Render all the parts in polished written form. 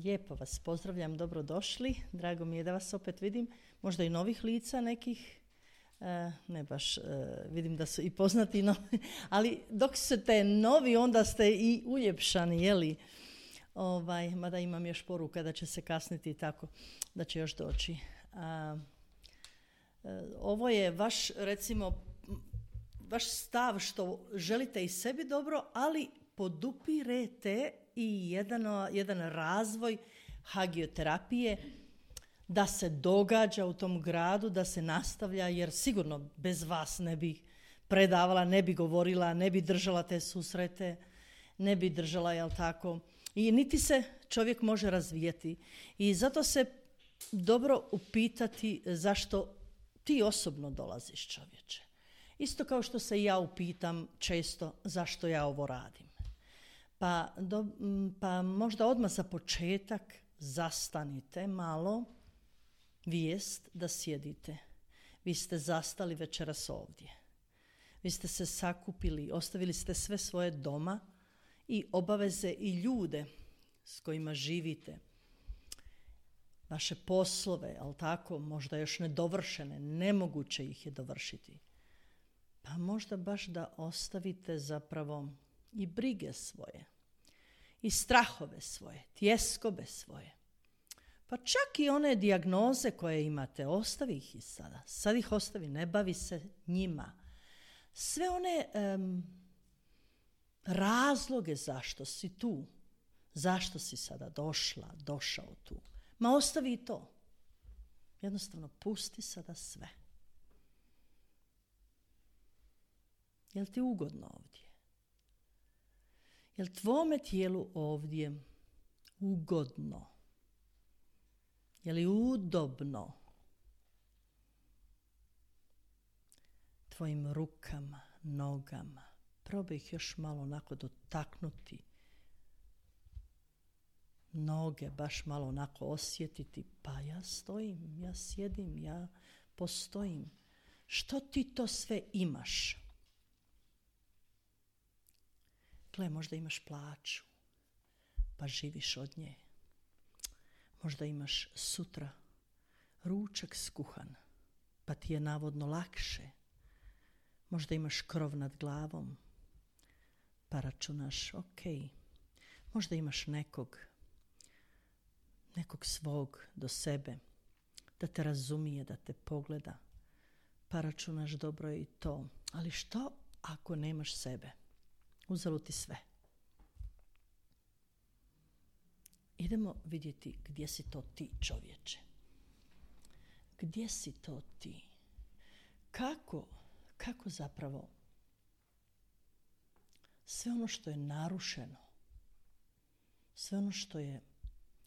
Lijepo vas pozdravljam, dobrodošli. Drago mi je da vas opet vidim. Možda i novih lica nekih. Ne baš, vidim da su i poznati novi. Ali dok ste novi, onda ste i uljepšani, jeli? Mada imam još poruka da će se kasniti i tako, da će još doći. Ovo je vaš, recimo, vaš stav što želite i sebi dobro, ali podupirete i jedan razvoj hagioterapije da se događa u tom gradu, da se nastavlja, jer sigurno bez vas ne bi predavala, ne bi govorila, ne bi držala te susrete, ne bi držala, jel tako? I niti se čovjek može razvijati. I zato se dobro upitati zašto ti osobno dolaziš, čovječe. Isto kao što se ja upitam često zašto ja ovo radim. Pa možda odmah za početak zastanite malo, vijest da sjedite. Vi ste zastali večeras ovdje. Vi ste se sakupili, ostavili ste sve svoje doma i obaveze i ljude s kojima živite. Vaše poslove, ali tako, možda još nedovršene, nemoguće ih je dovršiti. Pa možda baš da ostavite zapravo i brige svoje, i strahove svoje, tjeskobe svoje. Pa čak i one dijagnoze koje imate, ostavi ih i sada. Sad ih ostavi, ne bavi se njima. Sve one razloge zašto si tu, zašto si sada došao tu. Ma ostavi i to. Jednostavno pusti sada sve. Jel ti ugodno ovdje? Jel tvome tijelu ovdje ugodno? Je li udobno? Tvojim rukama, nogama. Probaj ih još malo onako dotaknuti. Noge baš malo onako osjetiti. Pa ja stojim, ja sjedim, ja postojim. Što ti to sve imaš? Gle, možda imaš plaću, pa živiš od nje. Možda imaš sutra ručak skuhan, pa ti je navodno lakše. Možda imaš krov nad glavom, pa računaš, ok. Možda imaš nekog svog do sebe, da te razumije, da te pogleda, pa računaš dobro je i to. Ali što ako nemaš sebe? Uzelo ti sve. Idemo vidjeti gdje si to ti, čovječe. Gdje si to ti? Kako zapravo sve ono što je narušeno, sve ono što je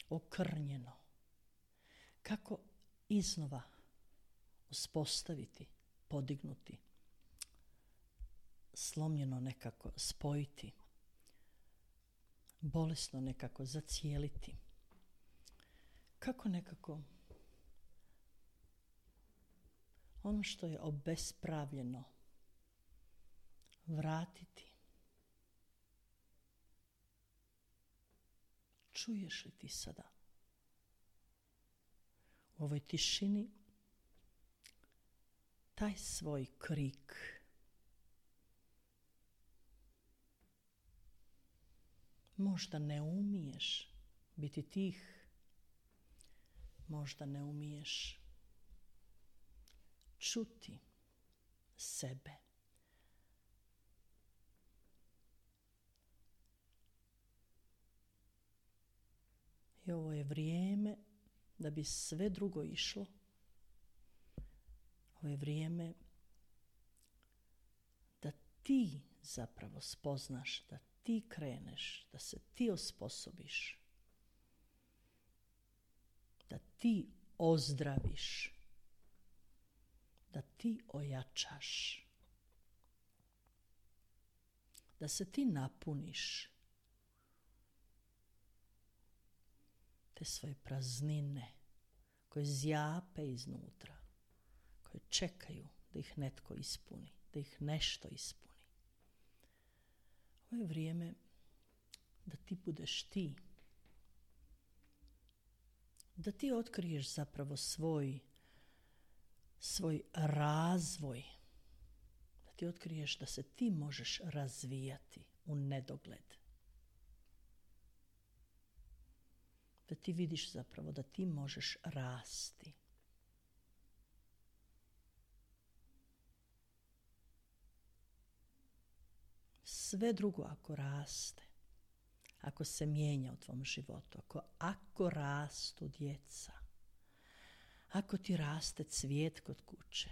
okrnjeno, kako iznova uspostaviti, podignuti, slomljeno nekako spojiti, bolesno nekako zacijeliti. Kako nekako ono što je obespravljeno vratiti. Čuješ li ti sada u ovoj tišini taj svoj krik? Možda ne umiješ biti tih, možda ne umiješ čuti sebe. I ovo je vrijeme da bi sve drugo išlo. Ovo je vrijeme da ti zapravo spoznaš, da ti kreneš, da se ti osposobiš, da ti ozdraviš, da ti ojačaš, da se ti napuniš te svoje praznine koje zjape iznutra, koje čekaju da ih netko ispuni, da ih nešto ispuni. Ovo je vrijeme da ti budeš ti. da ti otkriješ zapravo svoj razvoj, da ti otkriješ da se ti možeš razvijati u nedogled. Da ti vidiš zapravo da ti možeš rasti. Sve drugo ako raste, ako se mijenja u tvom životu, ako rastu djeca, ako ti raste cvijet kod kuće,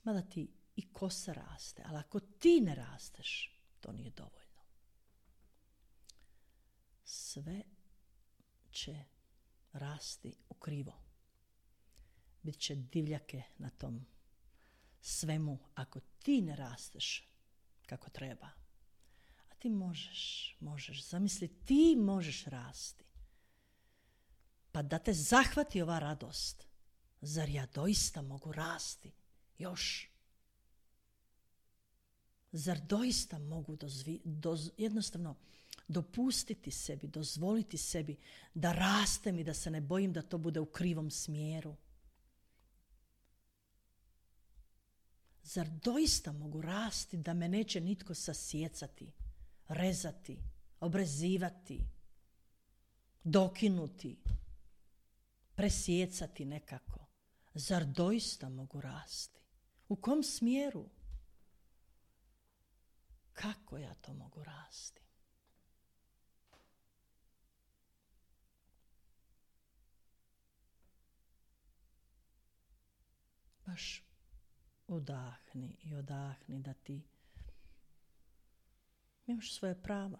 mada ti i kosa raste, ali ako ti ne rasteš, to nije dovoljno. Sve će rasti u krivo. Bit će divljake na tom svemu ako ti ne rasteš kako treba. A ti možeš, zamisli, ti možeš rasti. Pa da te zahvati ova radost. Zar ja doista mogu rasti još? Zar doista mogu jednostavno dopustiti sebi, dozvoliti sebi da rastem i da se ne bojim da to bude u krivom smjeru? Zar doista mogu rasti da me neće nitko sasjecati, rezati, obrezivati, dokinuti, presjecati nekako? Zar doista mogu rasti? U kom smjeru? Kako ja to mogu rasti? Baš udahni i odahni da ti imaš svoje prava,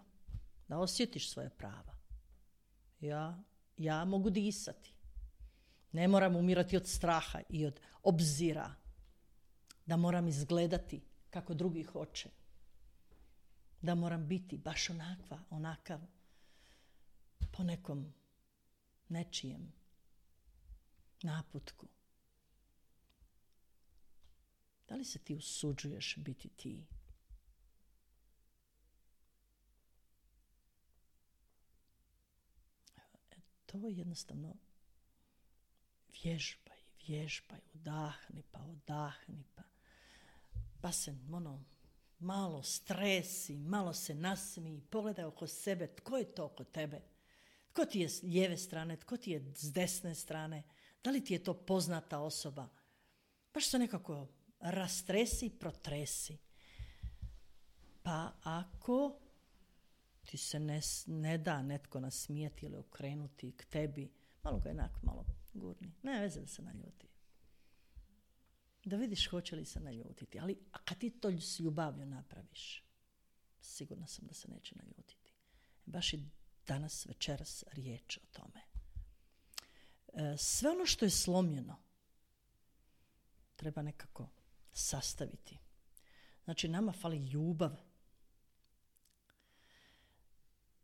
da osjetiš svoje prava. Ja mogu disati. Ne moram umirati od straha i od obzira da moram izgledati kako drugi hoće. Da moram biti baš onakav po nekom nečijem naputku. Da li se ti usuđuješ biti ti? To jednostavno vježbaj, udahni pa se malo stresi, malo se nasmiji, pogledaj oko sebe, tko je to oko tebe? Tko ti je s lijeve strane, tko ti je s desne strane? Da li ti je to poznata osoba? Baš se nekako rastresi, protresi. Pa ako ti se ne da netko nasmijeti ili okrenuti k tebi, malo ga malo gurni. Ne veze da se naljuti. Da vidiš hoće li se naljutiti. Ali kad ti to s ljubavlju napraviš, sigurna sam da se neće naljutiti. Baš i danas, večeras riječ o tome. Sve ono što je slomljeno treba nekako sastaviti. Znači, nama fali ljubav.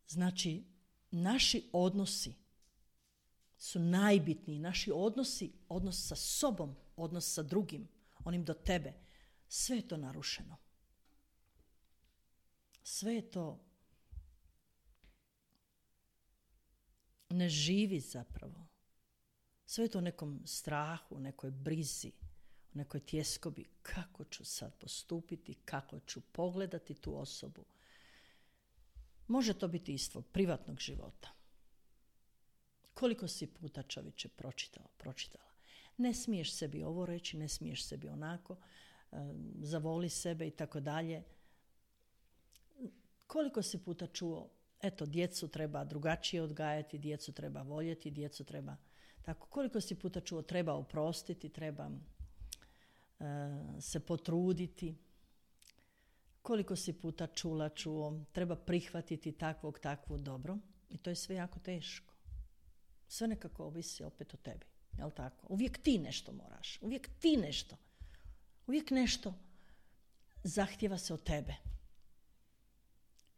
Znači, naši odnosi su najbitniji. Naši odnosi, odnos sa sobom, odnos sa drugim, onim do tebe. Sve je to narušeno. Sve je to ne živi zapravo. Sve je to u nekom strahu, u nekoj brizi, u nekoj tjeskobi. Kako ću sad postupiti, kako ću pogledati tu osobu. Može to biti iz tvog privatnog života. Koliko si puta, čovječe, pročitala. Ne smiješ sebi ovo reći, ne smiješ sebi onako, zavoli sebe i tako dalje. Koliko si puta čuo, eto, djecu treba drugačije odgajati, djecu treba voljeti, djecu treba tako. Koliko si puta čuo, treba oprostiti, treba se potruditi. Koliko si puta čuo, treba prihvatiti takvu dobro. I to je sve jako teško. Sve nekako ovisi opet o tebi. Jel tako? Uvijek ti nešto moraš. Uvijek nešto zahtjeva se od tebe.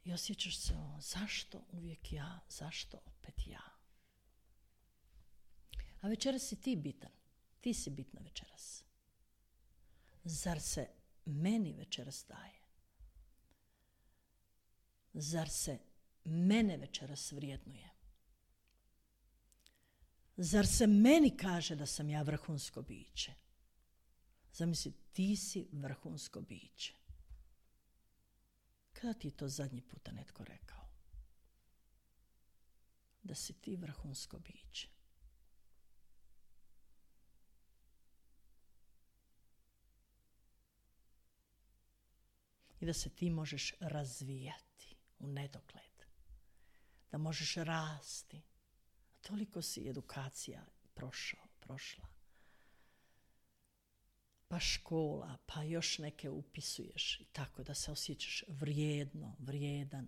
I osjećaš se, zašto uvijek ja, zašto opet ja? A večeras si ti bitan. Ti si bitna večeras. Zar se meni večeras daje? Zar se mene večeras vrijednuje? Zar se meni kaže da sam ja vrhunsko biće? Zamisli, ti si vrhunsko biće. Kada ti je to zadnji puta netko rekao? Da si ti vrhunsko biće. I da se ti možeš razvijati u nedogled. Da možeš rasti. Toliko si edukacija prošla. Pa škola, pa još neke upisuješ i tako da se osjećaš vrijedan.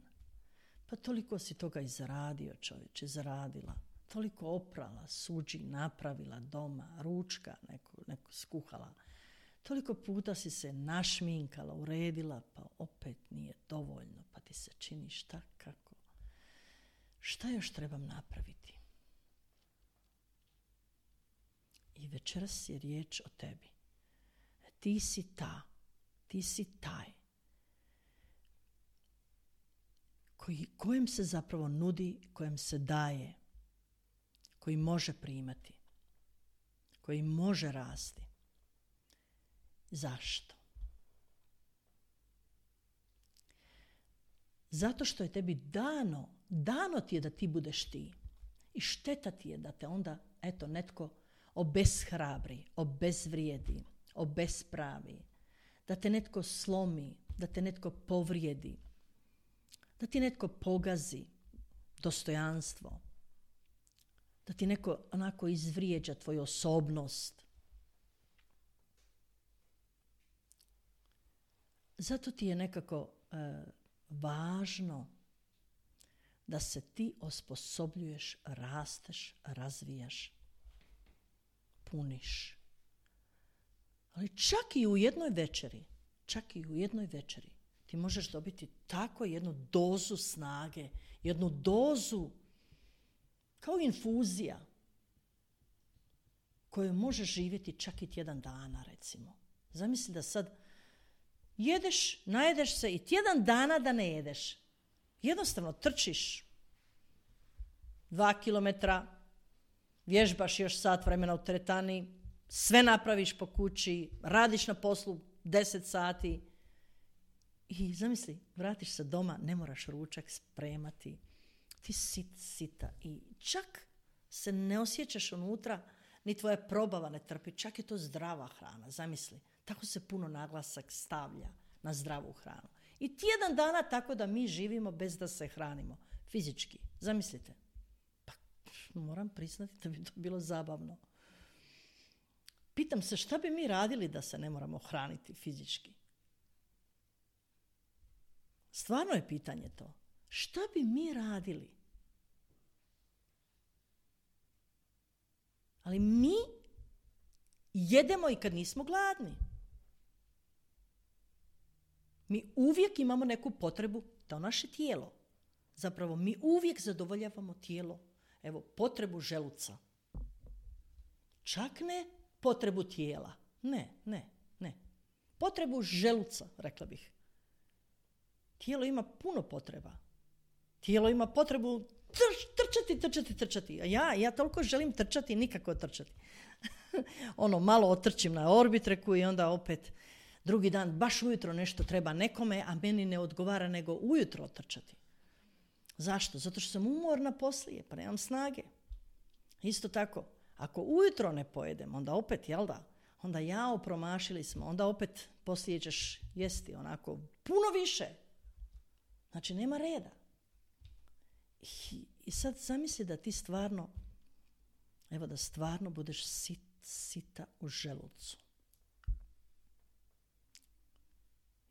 Pa toliko si toga izradio, čovječe, zaradila. Toliko oprala, suđi, napravila doma, ručka neko skuhala. Toliko puta si se našminkala, uredila, pa opet nije dovoljno, pa ti se čini šta, kako. Šta još trebam napraviti? I večeras je riječ o tebi. Ti si taj kojem se zapravo nudi, kojem se daje, koji može primati, koji može rasti. Zašto? Zato što je tebi dano ti je da ti budeš ti. I šteta ti je da te onda, netko obeshrabri, obezvrijedi, obespravi, da te netko slomi, da te netko povrijedi, da ti netko pogazi dostojanstvo, da ti netko onako izvrijeđa tvoju osobnost. Zato ti je nekako važno da se ti osposobljuješ, rasteš, razvijaš, puniš. Ali čak i u jednoj večeri ti možeš dobiti tako jednu dozu snage, jednu dozu kao infuzija koju možeš živjeti čak i tjedan dana, recimo. Zamisli da sad jedeš, najedeš se i tjedan dana da ne jedeš. Jednostavno trčiš 2 kilometra, vježbaš još sat vremena u teretani, sve napraviš po kući, radiš na poslu 10 sati i zamisli, vratiš se doma, ne moraš ručak spremati, ti sita i čak se ne osjećaš unutra, ni tvoja probava ne trpi, čak je to zdrava hrana, zamisli. Tako se puno naglasak stavlja na zdravu hranu. I tjedan dana tako da mi živimo bez da se hranimo. Fizički. Zamislite. Pa moram priznati da bi to bilo zabavno. Pitam se šta bi mi radili da se ne moramo hraniti fizički? Stvarno je pitanje to. Šta bi mi radili? Ali mi jedemo i kad nismo gladni. Mi uvijek imamo neku potrebu, to naše tijelo. Zapravo mi uvijek zadovoljavamo tijelo. Evo, potrebu želuca. Čak ne potrebu tijela. Ne. Potrebu želuca, rekla bih. Tijelo ima puno potreba. Tijelo ima potrebu trčati. A ja toliko želim trčati, nikako trčati. Malo otrčim na orbitreku i onda opet drugi dan baš ujutro nešto treba nekome, a meni ne odgovara nego ujutro otrčati. Zašto? Zato što sam umorna poslije, pa nemam snage. Isto tako, ako ujutro ne pojedem, onda opet, onda promašili smo, onda opet poslije ćeš jesti onako puno više. Znači, nema reda. I sad zamisli da ti stvarno, da stvarno budeš sita u želucu.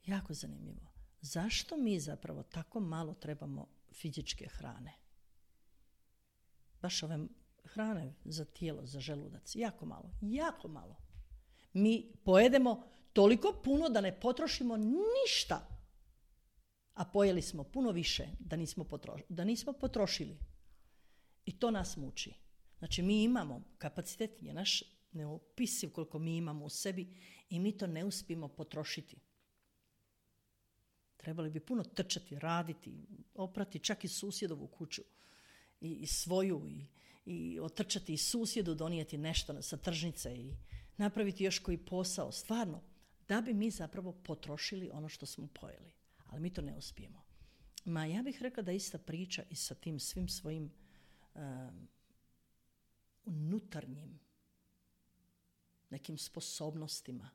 Jako zanimljivo. Zašto mi zapravo tako malo trebamo fizičke hrane? Baš ove hrane za tijelo, za želudac. Jako malo. Mi pojedemo toliko puno da ne potrošimo ništa. A pojeli smo puno više da nismo potrošili. I to nas muči. Znači, mi imamo kapacitet, je naš neopisiv koliko mi imamo u sebi i mi to ne uspijemo potrošiti. Trebali bi puno trčati, raditi, oprati čak i susjedovu kuću i svoju i otrčati i susjedu, donijeti nešto sa tržnice i napraviti još koji posao, stvarno, da bi mi zapravo potrošili ono što smo pojeli. Ali mi to ne uspijemo. Ja bih rekla da ista priča i sa tim svim svojim unutarnjim nekim sposobnostima.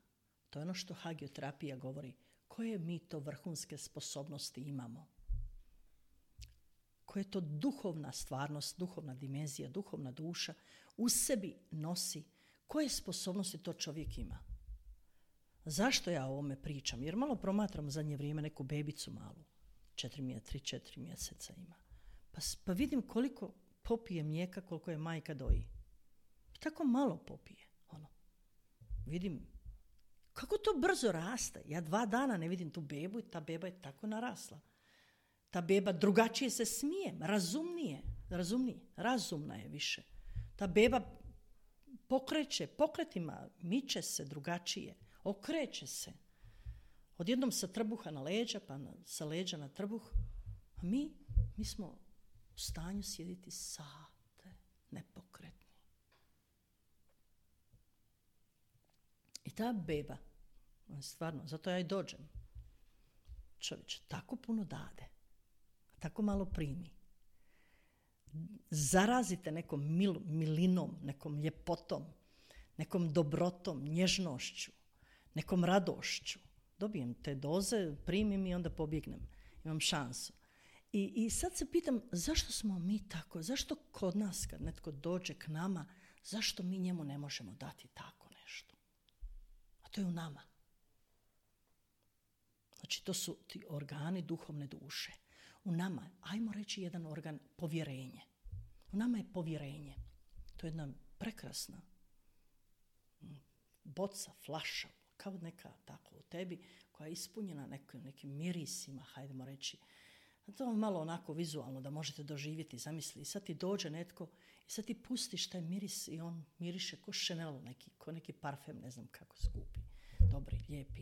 To je ono što hagioterapija govori. Koje mi to vrhunske sposobnosti imamo? Koja je to duhovna stvarnost, duhovna dimenzija, duhovna duša u sebi nosi? Koje sposobnosti to čovjek ima? Zašto ja o ovome pričam? Jer malo promatram u zadnje vrijeme neku bebicu malu. 3-4 mjeseca ima. Pa vidim koliko popije mlijeka, koliko je majka doji. Tako malo popije. Vidim kako to brzo raste. Ja 2 dana ne vidim tu bebu i ta beba je tako narasla. Ta beba drugačije se smije, razumna je više. Ta beba pokretima, miče se drugačije, okreće se. Odjednom sa trbuha na leđa, pa sa leđa na trbuh. A mi smo u stanju sjediti sate, nepokretni. I ta beba, stvarno, zato ja i dođem. Čovječe, tako puno dade, tako malo primi. Zarazite nekom milinom, nekom ljepotom, nekom dobrotom, nježnošću, nekom radošću. Dobijem te doze, primim i onda pobjegnem. Imam šansu. I sad se pitam, zašto smo mi tako? Zašto kod nas, kad netko dođe k nama, zašto mi njemu ne možemo dati tako nešto? A to je u nama. Znači, to su ti organi duhovne duše. U nama, ajmo reći jedan organ, povjerenje. U nama je povjerenje. To je jedna prekrasna boca, flaša, kao neka tako u tebi, koja je ispunjena nekim mirisima, hajdemo reći. To je malo onako vizualno da možete doživjeti, zamisli. I sad ti dođe netko i sad ti pustiš taj miris i on miriše ko Chanel neki, ko neki parfem, ne znam kako skupi, dobri, lijepi.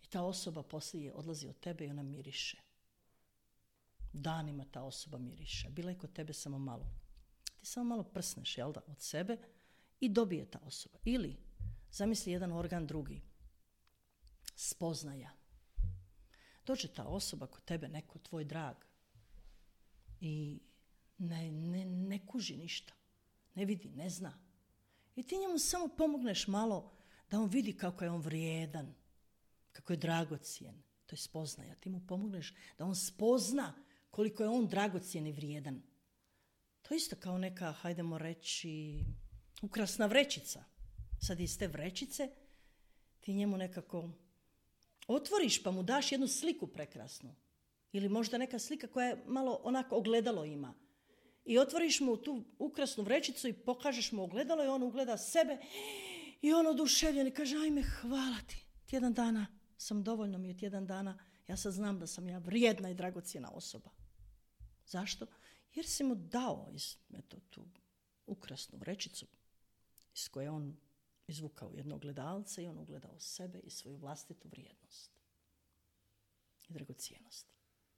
I ta osoba poslije odlazi od tebe i ona miriše. Danima ta osoba miriše. Bila je kod tebe samo malo. Ti samo malo prsneš, jel da, od sebe i dobije ta osoba. Ili, zamisli jedan organ drugi. Spoznaja. Dođe ta osoba kod tebe, neko tvoj drag i ne kuži ništa. Ne vidi, ne zna. I ti njemu samo pomogneš malo da on vidi kako je on vrijedan, kako je dragocijen. To je spoznaja. Ti mu pomogneš da on spozna koliko je on dragocijen i vrijedan. To je isto kao neka, hajdemo reći, ukrasna vrećica. Sad iz te vrećice ti njemu nekako otvoriš pa mu daš jednu sliku prekrasnu. Ili možda neka slika koja je malo onako ogledalo ima. I otvoriš mu tu ukrasnu vrećicu i pokažeš mu ogledalo i on ugleda sebe i on oduševljen i kaže, ajme, hvala ti. Tjedan dana sam, dovoljno mi je tjedan dana, ja sad znam da sam ja vrijedna i dragocjena osoba. Zašto? Jer si mu dao tu ukrasnu vrećicu iz koje on izvukao jedno ogledalce i on ugledao sebe i svoju vlastitu vrijednost i dragocjenost.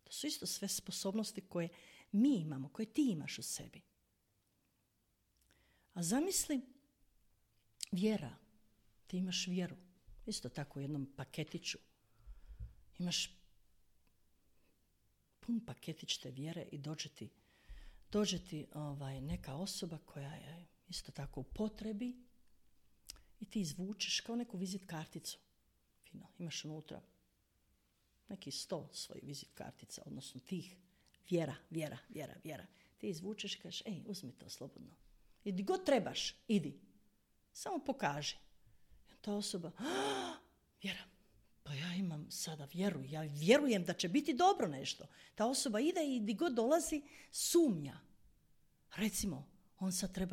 To su isto sve sposobnosti koje mi imamo, koje ti imaš u sebi. A zamisli vjera. Ti imaš vjeru. Isto tako u jednom paketiću. Imaš pun paketić te vjere i dođe ti neka osoba koja je isto tako u potrebi i ti izvučeš kao neku vizit karticu. Fino, imaš unutra neki 100 svojih vizit kartica, odnosno tih vjera. Ti izvučeš i kažeš, uzmi to slobodno. I gdje god trebaš, idi. Samo pokaži. I ta osoba, vjera, pa ja imam sada vjeru, ja vjerujem da će biti dobro nešto. Ta osoba ide i gdje god dolazi, sumnja. Recimo,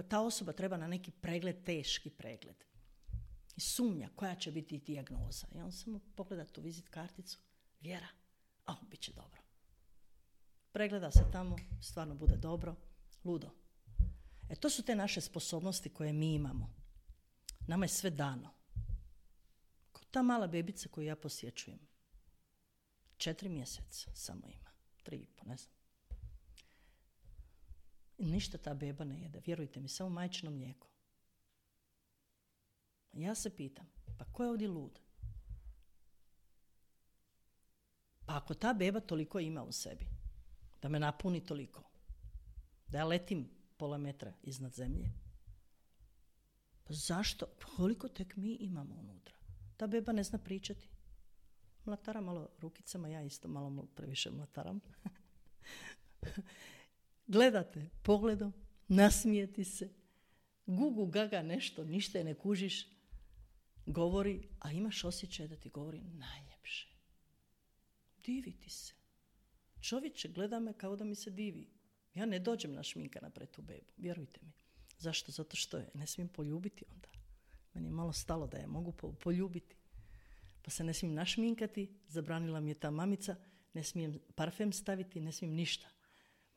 ta osoba treba na neki pregled, teški pregled. I sumnja koja će biti dijagnoza. I on samo pogleda tu vizit karticu, vjera, bit će dobro. Pregleda se tamo, stvarno bude dobro, ludo. To su te naše sposobnosti koje mi imamo. Nama je sve dano. Kao ta mala bebica koju ja posjećujem. 4 mjeseca samo ima. 3,5, ne znam. Ništa ta beba ne jede, vjerujte mi, samo majčino mlijeko. Ja se pitam, pa ko je ovdje lud? Pa ako ta beba toliko ima u sebi, da me napuni toliko, da ja letim pola metra iznad zemlje, pa zašto? Koliko tek mi imamo unutra? Ta beba ne zna pričati. Mlatara malo rukicama, ja isto malo previše mlataram. Gledate pogledom, nasmijeti se, gugu gaga nešto, ništa je ne kužiš, govori, a imaš osjećaj da ti govori najljepše. Diviti se. Čovječe gleda me kao da mi se divi. Ja ne dođem našminkana pred tu bebu, vjerujte mi. Zašto? Zato što je ne smijem poljubiti onda. Meni je malo stalo da je mogu poljubiti. Pa se ne smijem našminkati, zabranila mi je ta mamica, ne smijem parfem staviti, ne smijem ništa.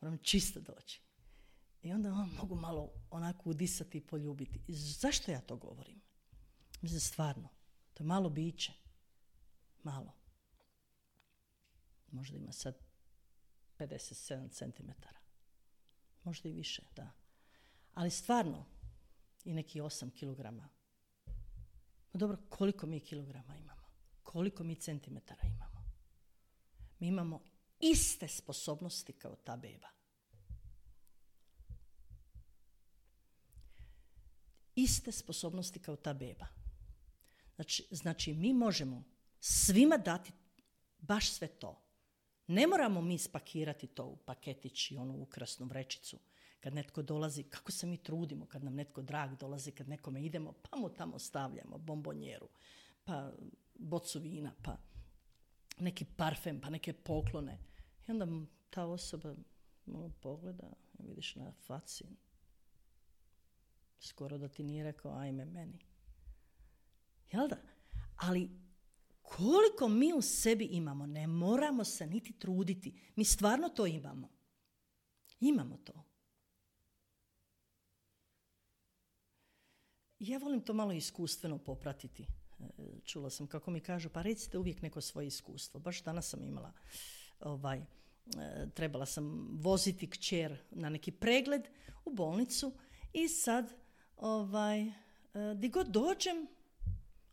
Moram čisto doći. I onda mogu malo onako udisati i poljubiti. I zašto ja to govorim? Mislim, stvarno, to je malo biće. Malo. Možda ima sad 57 centimetara. Možda i više, da. Ali stvarno, i neki 8 kilograma. No dobro, koliko mi kilograma imamo? Koliko mi centimetara imamo? Mi imamo iste sposobnosti kao ta beba. Iste sposobnosti kao ta beba. Znači mi možemo svima dati baš sve to. Ne moramo mi spakirati to u paketić i onu ukrasnu vrećicu. Kad netko dolazi, kako se mi trudimo kad nam netko drag dolazi, kad nekome idemo, pa mu tamo stavljamo bombonjeru, pa bocu vina, pa neki parfem, pa neke poklone. I onda ta osoba malo pogleda, vidiš na faci, skoro da ti nije rekao ajme meni. Jel da? Ali koliko mi u sebi imamo, ne moramo se niti truditi. Mi stvarno to imamo. Imamo to. Ja volim to malo iskustveno popratiti. Čula sam kako mi kažu, pa recite uvijek neko svoje iskustvo. Baš danas sam imala, trebala sam voziti kćer na neki pregled u bolnicu i sad, di god dođem,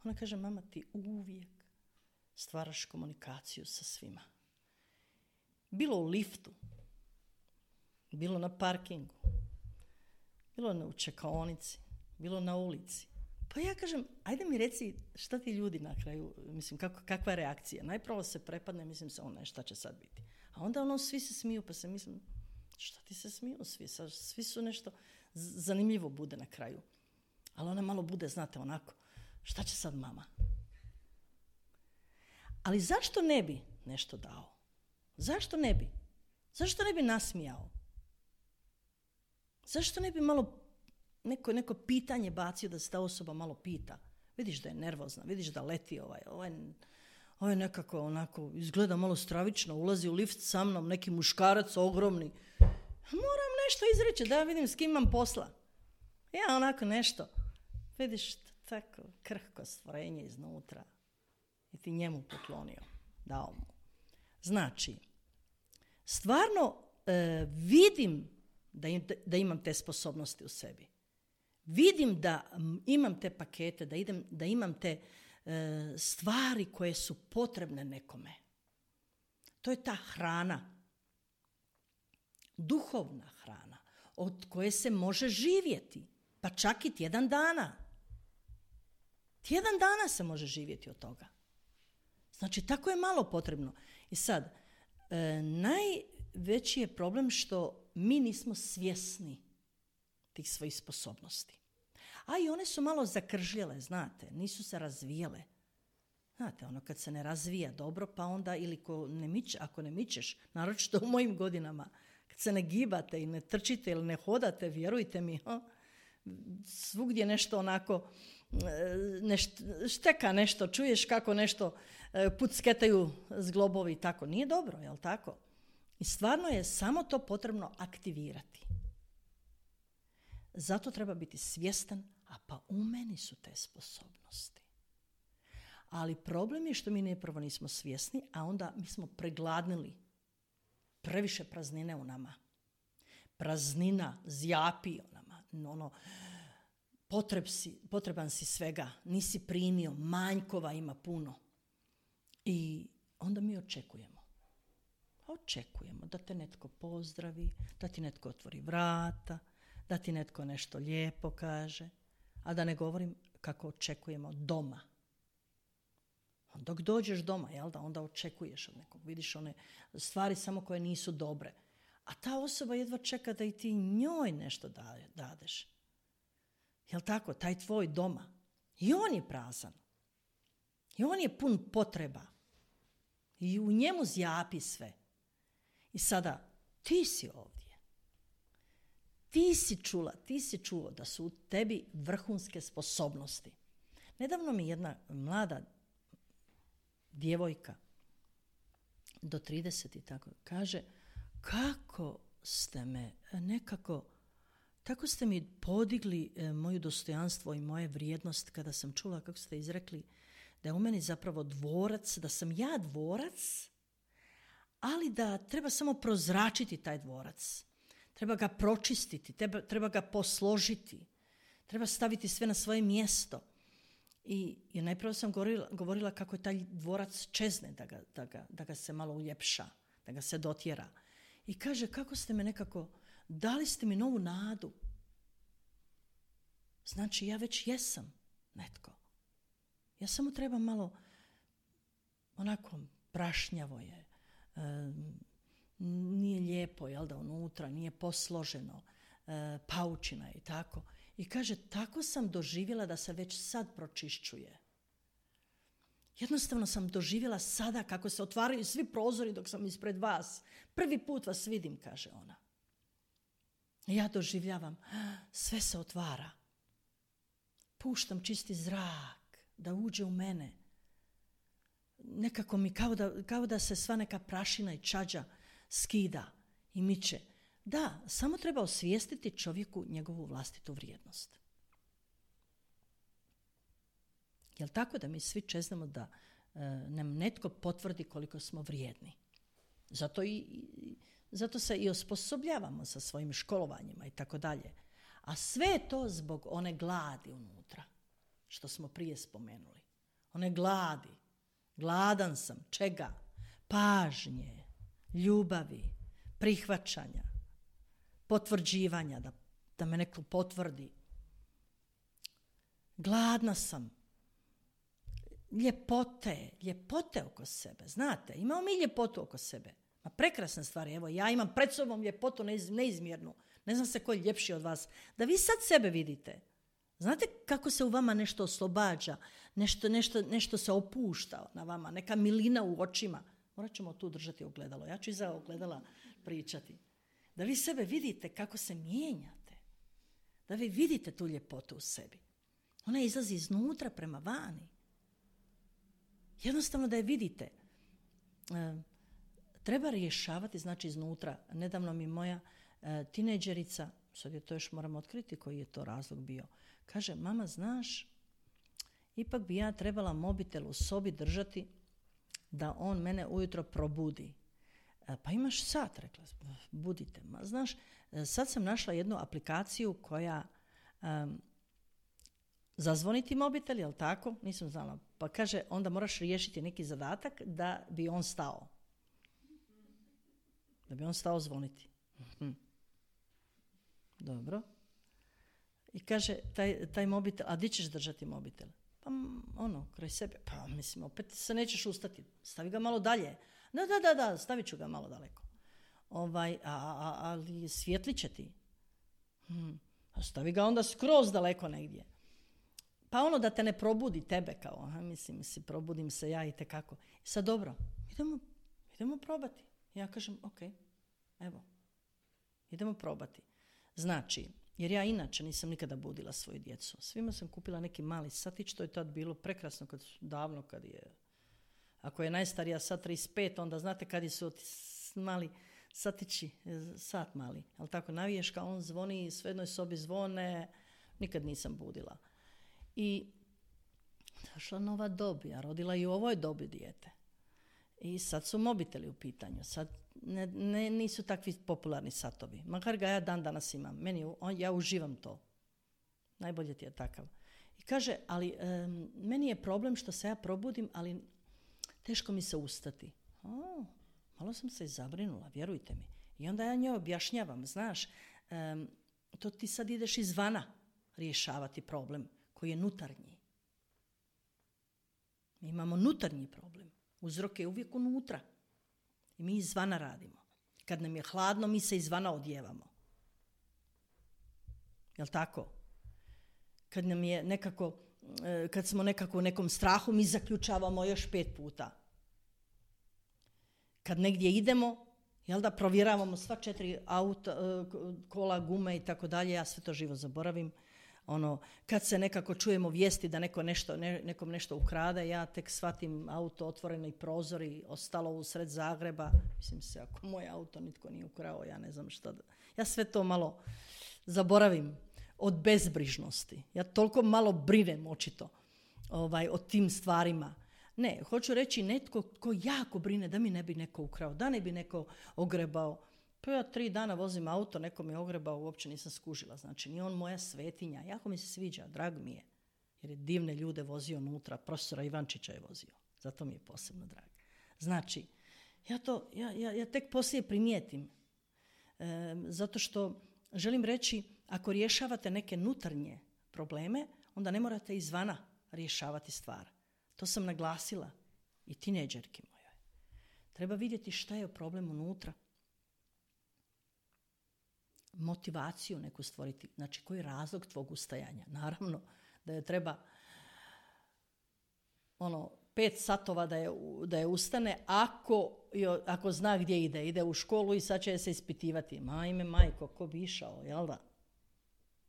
ona kaže, mama, ti uvijek stvaraš komunikaciju sa svima. Bilo u liftu, bilo na parkingu, bilo u čekaonici, bilo na ulici. Pa ja kažem, ajde mi reci šta ti ljudi na kraju, mislim, kakva je reakcija. Najprvo se prepadne, mislim se, šta će sad biti. A onda svi se smiju, pa se mislim, šta ti se smiju svi? Svi su nešto zanimljivo bude na kraju. Ali ona malo bude, znate, onako, šta će sad mama? Ali zašto ne bi nešto dao? Zašto ne bi? Zašto ne bi nasmijao? Zašto ne bi malo neko pitanje bacio da se ta osoba malo pita? Vidiš da je nervozna, vidiš da leti ovaj nekako onako, izgleda malo stravično, ulazi u lift sa mnom, neki muškarac ogromni. Moram nešto izreći, da ja vidim s kim imam posla. Ja onako nešto, vidiš tako krhko stvorenje iznutra i ti njemu poklonio, dao mu. Znači, stvarno vidim da imam te sposobnosti u sebi. Vidim da imam te pakete, da imam te stvari koje su potrebne nekome. To je ta hrana, duhovna hrana, od koje se može živjeti, pa čak i tjedan dana. Tjedan dana se može živjeti od toga. Znači, tako je malo potrebno. I sad, najveći je problem što mi nismo svjesni tih svojih sposobnosti. A i one su malo zakržljele, znate, nisu se razvijele. Znate, kad se ne razvija dobro, pa onda ili ako ne mičeš, naročito u mojim godinama, kad se ne gibate i ne trčite ili ne hodate, vjerujte mi, svugdje nešto onako, šteka nešto, čuješ kako nešto pucketaju zglobovi i tako. Nije dobro, jel tako? I stvarno je samo to potrebno aktivirati. Zato treba biti svjestan, a pa u meni su te sposobnosti. Ali problem je što mi prvo nismo svjesni, a onda mi smo pregladnili. Previše praznine u nama. praznina, zjapi ono, potreban si svega, nisi primio, manjkova ima puno. I onda mi očekujemo. Očekujemo da te netko pozdravi, da ti netko otvori vrata, da ti netko nešto lijepo kaže, a da ne govorim kako očekujemo doma. Dok dođeš doma, jel da, onda očekuješ od nekog, vidiš one stvari samo koje nisu dobre. A ta osoba jedva čeka da i ti njoj nešto dadeš. Jel tako, taj tvoj doma. I on je prazan. I on je pun potreba. I u njemu zjapi sve. I sada, ti si ovdje. Ti si čuo da su u tebi vrhunske sposobnosti. Nedavno mi jedna mlada djevojka do 30 i tako kaže, kako ste me nekako, tako ste mi podigli moju dostojanstvo i moje vrijednost kada sam čula kako ste izrekli da je u meni zapravo dvorac, da sam ja dvorac, ali da treba samo prozračiti taj dvorac. Treba ga pročistiti, treba ga posložiti, treba staviti sve na svoje mjesto. I najprve sam govorila kako je taj dvorac čezne, da ga se malo uljepša, da ga se dotjera. I kaže, kako ste me nekako, dali ste mi novu nadu. Znači, ja već jesam netko. Ja samo trebam malo, onako, prašnjavo je, nije lijepo, jel da, unutra, nije posloženo, paučina i tako. I kaže, tako sam doživjela da se već sad pročišćuje. Jednostavno sam doživjela sada kako se otvaraju svi prozori dok sam ispred vas. Prvi put vas vidim, kaže ona. I ja doživljavam, sve se otvara. Puštam čisti zrak da uđe u mene. Nekako mi kao da se sva neka prašina i čađa skida i miče. Da, samo treba osvijestiti čovjeku njegovu vlastitu vrijednost. Jel tako da mi svi čeznemo da nam netko potvrdi koliko smo vrijedni? Zato se i osposobljavamo sa svojim školovanjima i tako dalje. A sve je to zbog one gladi unutra, što smo prije spomenuli. One gladi. Gladan sam. Čega? Pažnje, ljubavi, prihvaćanja, potvrđivanja, da me neko potvrdi. Gladna sam. Ljepote oko sebe. Znate, imamo mi ljepotu oko sebe. Ma prekrasne stvari. Evo, ja imam pred sobom ljepotu neizmjernu. Ne znam se ko je ljepši od vas. Da vi sad sebe vidite. Znate kako se u vama nešto oslobađa, nešto se opušta na vama, neka milina u očima. Morat ćemo tu držati ogledalo. Ja ću iza ogledala pričati. Da vi sebe vidite kako se mijenjate. Da vi vidite tu ljepotu u sebi. Ona izlazi iznutra prema vani. Jednostavno da je vidite. Treba rješavati, znači iznutra. Nedavno mi moja tinejdžerica, sad je to još moramo otkriti koji je to razlog bio, kaže, mama, znaš, ipak bi ja trebala mobitel u sobi držati da on mene ujutro probudi. Pa imaš sat, rekla, budite. Ma, znaš, sad sam našla jednu aplikaciju koja zazvoniti mobitel, jel tako? Nisam znala. Pa kaže, onda moraš riješiti neki zadatak da bi on stao. Da bi on stao zvoniti. Dobro. I kaže, taj mobitel, a di ćeš držati mobitel? Pa kraj sebe. Pa mislim, opet se nećeš ustati. Stavi ga malo dalje. Da, stavit ću ga malo daleko. Ali svijetlit će ti. Stavi ga onda skroz daleko negdje. Pa da te ne probudi tebe kao, mislim, probudim se ja i tekako. I sad dobro, idemo probati. Ja kažem, ok, evo, idemo probati. Znači, jer ja inače nisam nikada budila svoju djecu. Svima sam kupila neki mali satić, to je tad bilo prekrasno, davno kad je, ako je najstarija sad 35, onda znate kad su mali satići, sat mali, ali tako naviješ kao on zvoni, sve jednoj sobi zvone, nikad nisam budila. I došla nova dob, ja rodila i u ovoj dobi dijete. I sad su mobiteli u pitanju. Sad nisu takvi popularni satovi. Makar ga ja dan danas imam. Ja uživam to. Najbolje ti je takav. I kaže, ali meni je problem što se ja probudim, ali teško mi se ustati. Malo sam se zabrinula, vjerujte mi. I onda ja njoj objašnjavam, znaš, to ti sad ideš izvana rješavati problem koji je nutarnji. Mi imamo nutarnji problem. Uzrok je uvijek unutra. I mi izvana radimo. Kad nam je hladno, mi se izvana odjevamo. Jel' tako? Kad nam je nekako, kad smo nekako u nekom strahu, mi zaključavamo još 5 puta. Kad negdje idemo, jel da, provjeravamo sva 4 auta, kola, gume i tako dalje, ja sve to živo zaboravim. Kad se nekako čujemo vijesti da nekom nešto ukrade, ja tek shvatim auto, otvoreni prozori, ostalo usred Zagreba. Mislim se, ako moj auto nitko nije ukrao, ja ne znam šta. Ja sve to malo zaboravim od bezbrižnosti. Ja toliko malo brinem očito o tim stvarima. Ne, hoću reći netko ko jako brine da mi ne bi neko ukrao, da ne bi neko ogrebao. Pa ja 3 dana vozim auto, neko mi je ogrebao, uopće nisam skužila. Znači, nije on moja svetinja. Jako mi se sviđa, drag mi je. Jer je divne ljude vozio unutra, profesora Ivančića je vozio. Zato mi je posebno drag. Znači, ja tek poslije primijetim. Zato što želim reći, ako rješavate neke nutarnje probleme, onda ne morate izvana rješavati stvar. To sam naglasila i tinejdžerki mojoj. Treba vidjeti šta je problem unutra. Motivaciju neku stvoriti. Znači, koji je razlog tvog ustajanja? Naravno da je treba 5 satova da je ustane ako zna gdje ide. Ide u školu i sad će se ispitivati. Majko, ko bi išao, jel da?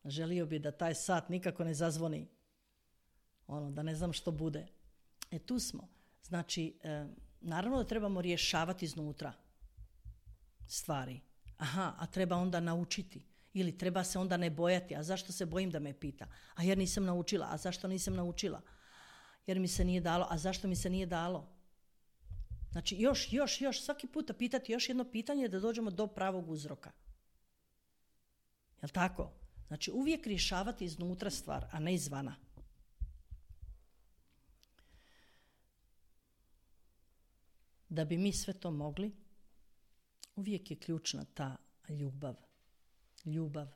Želio bi da taj sat nikako ne zazvoni. Da ne znam što bude. Tu smo. Znači, naravno da trebamo rješavati iznutra stvari. A treba onda naučiti. Ili treba se onda ne bojati. A zašto se bojim da me pita? A jer nisam naučila. A zašto nisam naučila? Jer mi se nije dalo. A zašto mi se nije dalo? Znači, još, svaki puta pitati još jedno pitanje da dođemo do pravog uzroka. Jel' tako? Znači, uvijek rješavati iznutra stvar, a ne izvana. Da bi mi sve to mogli, uvijek je ključna ta ljubav.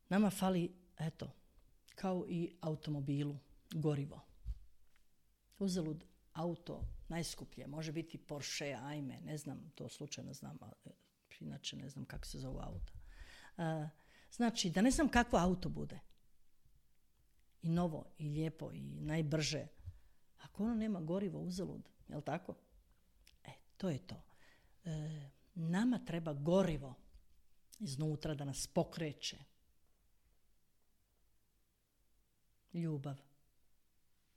Nama fali, kao i automobilu, gorivo. Uzalud auto najskuplje, može biti Porsche, ajme, ne znam, to slučajno znam, inače ne znam kako se zove auto. Znači, da ne znam kakvo auto bude. I novo, i lijepo, i najbrže. Ako ono nema gorivo, uzalud, jel' tako? To je to. Nama treba gorivo iznutra da nas pokreće. Ljubav.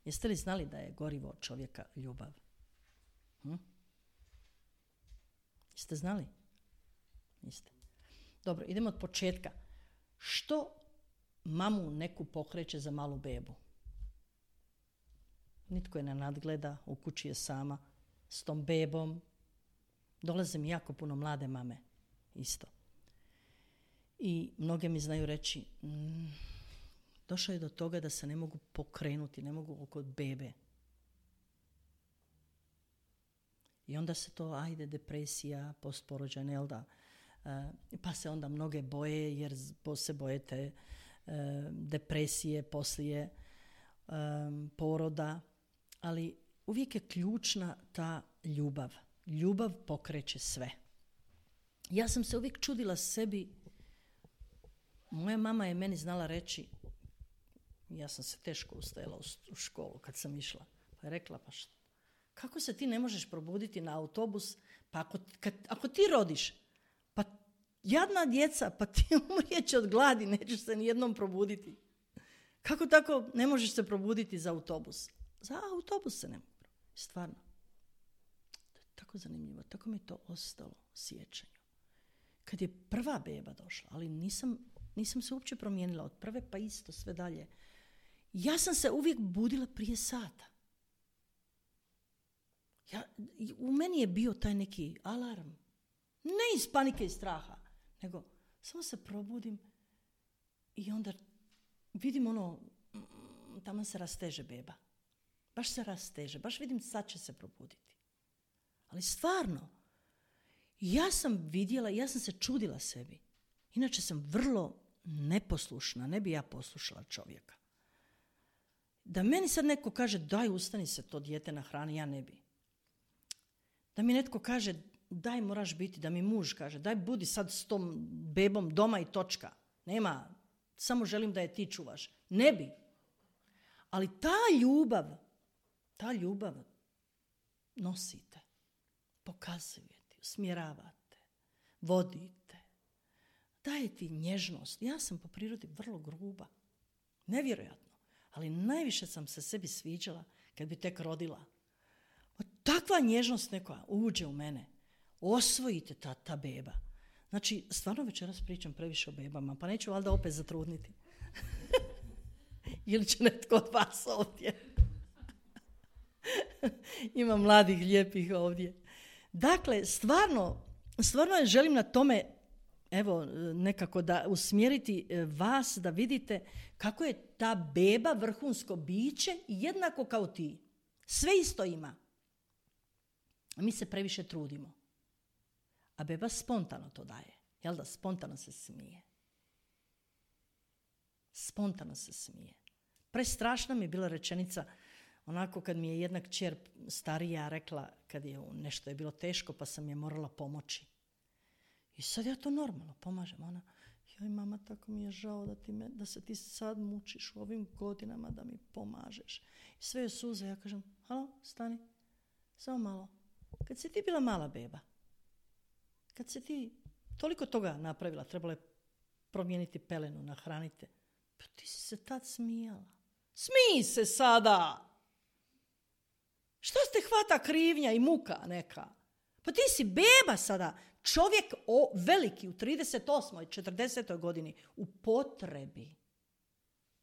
Jeste li znali da je gorivo čovjeka ljubav? Jeste znali? Niste. Dobro, idemo od početka. Što mamu neku pokreće za malu bebu? Nitko je ne nadgleda, u kući je sama s tom bebom. Dolaze mi jako puno mlade mame, isto. I mnoge mi znaju reći, došlo je do toga da se ne mogu pokrenuti, ne mogu oko bebe. I onda se to, depresija, postporođajna, jel da? Pa se onda mnoge boje, jer se boje te depresije poslije poroda. Ali uvijek je ključna ta ljubav. Ljubav pokreće sve. Ja sam se uvijek čudila sebi. Moja mama je meni znala reći, ja sam se teško ustajala u školu kad sam išla. Pa je rekla, kako se ti ne možeš probuditi na autobus? Pa ako ti rodiš, pa jadna djeca, pa ti umrijeće od gladi, nećeš se nijednom probuditi. Kako tako ne možeš se probuditi za autobus? Za autobus se ne mogu. Stvarno. To je tako zanimljivo. Tako mi je to ostalo u sjećanju. Kad je prva beba došla, ali nisam se uopće promijenila od prve pa isto sve dalje. Ja sam se uvijek budila prije sata. U meni je bio taj neki alarm. Ne iz panike i straha, nego samo se probudim i onda vidim tamo se rasteže beba. Baš se rasteže, baš vidim sad će se probuditi. Ali stvarno, ja sam vidjela, ja sam se čudila sebi. Inače sam vrlo neposlušna, ne bi ja poslušala čovjeka. Da meni sad neko kaže daj ustani se to dijete nahrani, ja ne bi. Da mi netko kaže daj moraš biti, da mi muž kaže daj budi sad s tom bebom doma i točka. Nema, samo želim da je ti čuvaš. Ne bi. Ali ta ljubav nosite, pokazujete, usmjeravate, vodite, daje ti nježnost. Ja sam po prirodi vrlo gruba, nevjerojatno, ali najviše sam se sebi sviđala kad bi tek rodila. Takva nježnost neka uđe u mene, osvojite ta beba. Znači, stvarno večeras pričam previše o bebama, pa neću valjda opet zatrudniti. Ili će netko od vas ovdje. Ima mladih, lijepih ovdje. Dakle, stvarno želim na tome, evo, nekako da usmjeriti vas da vidite kako je ta beba vrhunsko biće jednako kao ti. Sve isto ima. A mi se previše trudimo. A beba spontano to daje. Jel da? Spontano se smije. Spontano se smije. Prestrašna mi je bila rečenica, onako kad mi je jedna kćer starija rekla, kad je nešto je bilo teško, pa sam je morala pomoći. I sad ja to normalno pomažem. Ona, joj mama, tako mi je žao da se ti sad mučiš u ovim godinama da mi pomažeš. I sve je suze, ja kažem, halo, stani, samo malo. Kad si ti bila mala beba, kad si ti toliko toga napravila, trebalo je promijeniti pelenu, nahranite, pa ti si se tad smijala. Smij se sada! Što te hvata krivnja i muka neka? Pa ti si beba sada, čovjek veliki u 38. 40. godini u potrebi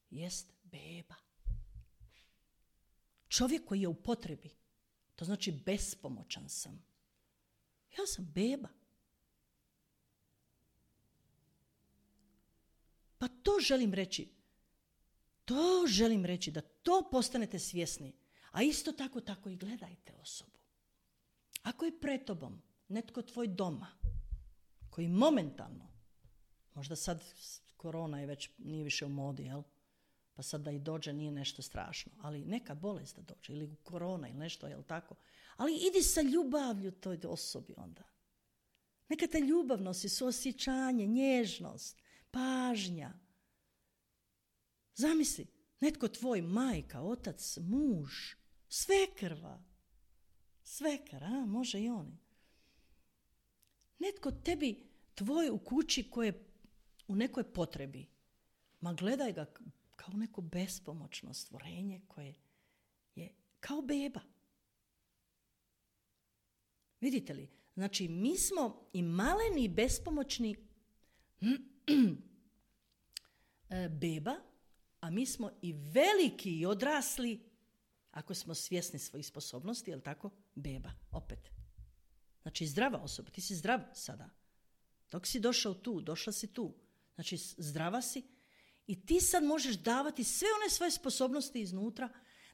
jest beba. Čovjek koji je u potrebi, to znači bespomoćan sam. Ja sam beba. Pa to želim reći da to postanete svjesni. A isto tako i gledajte osobu. Ako je pred tobom netko tvoj doma, koji momentalno, možda sad korona je već nije više u modi, jel? Pa sad da i dođe nije nešto strašno, ali neka bolest da dođe, ili korona ili nešto, jel tako? Ali idi sa ljubavlju toj osobi onda. Neka te ljubav nosi, suosjećanje, nježnost, pažnja. Zamisli, netko tvoj, majka, otac, muž, svekar, može i oni. Netko tebi, tvoj u kući koji je u nekoj potrebi, ma gledaj ga kao neko bespomoćno stvorenje koje je kao beba. Vidite li? Znači, mi smo i maleni i bespomoćni beba, a mi smo i veliki i odrasli, ako smo svjesni svojih sposobnosti, jel tako? Beba, opet. Znači, zdrava osoba, ti si zdrav sada. Dok si došla si tu. Znači, zdrava si i ti sad možeš davati sve one svoje sposobnosti iznutra,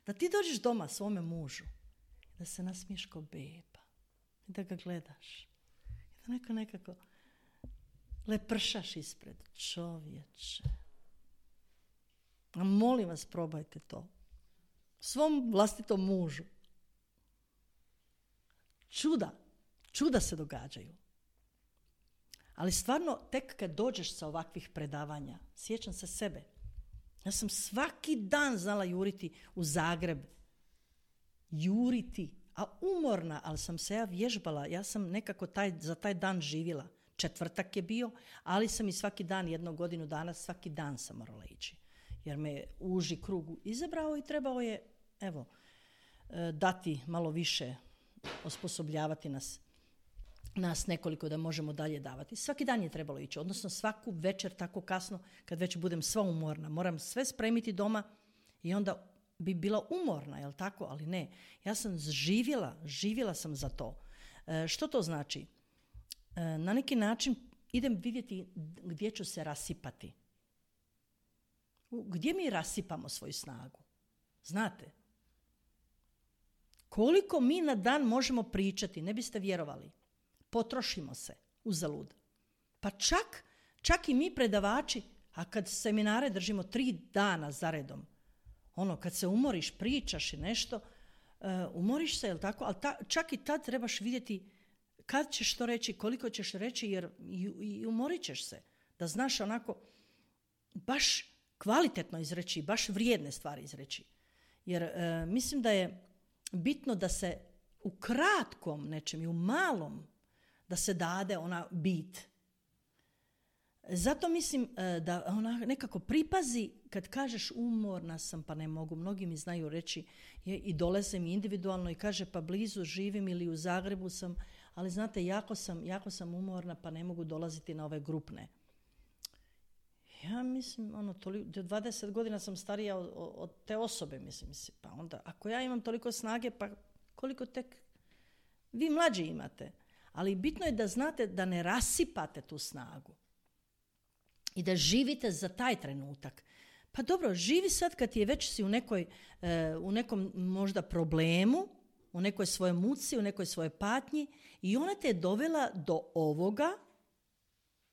da ti dođeš doma svome mužu, da se nasmiješ kao beba i da ga gledaš. I da nekako lepršaš ispred. Čovječe. A molim vas, probajte to. Svom vlastitom mužu. Čuda se događaju. Ali stvarno, tek kad dođeš sa ovakvih predavanja, sjećam se sebe. Ja sam svaki dan znala juriti u Zagreb. A umorna, ali sam se ja vježbala. Ja sam nekako za taj dan živjela. Četvrtak je bio, ali sam i svaki dan, 1 godinu dana, svaki dan sam morala ići. Jer me uži krug izabrao i trebao je, dati malo više, osposobljavati nas nekoliko da možemo dalje davati. Svaki dan je trebalo ići, odnosno svaku večer tako kasno, kad već budem sva umorna. Moram sve spremiti doma i onda bi bila umorna, jel tako? Ali ne, ja sam živjela sam za to. Što to znači? Na neki način idem vidjeti gdje ću se rasipati. Gdje mi rasipamo svoju snagu? Znate? Koliko mi na dan možemo pričati, ne biste vjerovali. Potrošimo se uzalud. Pa čak i mi predavači, a kad seminare držimo 3 dana za redom, kad se umoriš, pričaš i nešto, umoriš se, jel tako? Ali čak i tad trebaš vidjeti kad ćeš to reći, koliko ćeš reći, jer i umorit ćeš se. Da znaš onako baš kvalitetno izreći, baš vrijedne stvari izreći. Jer mislim da je bitno da se u kratkom nečem i u malom da se dade ona bit. Zato mislim da ona nekako pripazi kad kažeš umorna sam pa ne mogu. Mnogi mi znaju reći i dolaze mi individualno i kaže pa blizu živim ili u Zagrebu sam, ali znate jako sam umorna pa ne mogu dolaziti na ove grupne. Ja mislim, 20 godina sam starija od te osobe, mislim. Pa onda, ako ja imam toliko snage, pa koliko tek vi mlađi imate. Ali bitno je da znate da ne rasipate tu snagu. I da živite za taj trenutak. Pa dobro, živi sad kad je već si u nekom možda problemu, u nekoj svojoj muci, u nekoj svojoj patnji i ona te je dovela do ovoga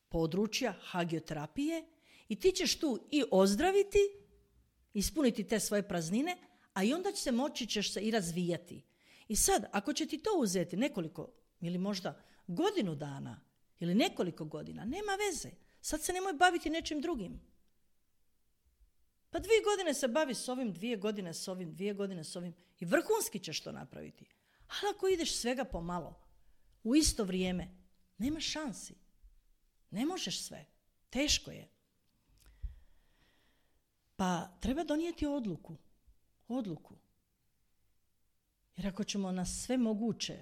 područja hagioterapije i ti ćeš tu i ozdraviti, ispuniti te svoje praznine, a i onda ćeš se i razvijati. I sad, ako će ti to uzeti nekoliko ili možda godinu dana ili nekoliko godina, nema veze. Sad se nemoj baviti nečim drugim. Pa 2 godine se bavi s ovim, 2 godine s ovim, 2 godine s ovim i vrhunski ćeš to napraviti. Ali ako ideš svega pomalo, u isto vrijeme, nema šansi. Ne možeš sve. Teško je. Pa treba donijeti odluku. Jer ako ćemo na sve moguće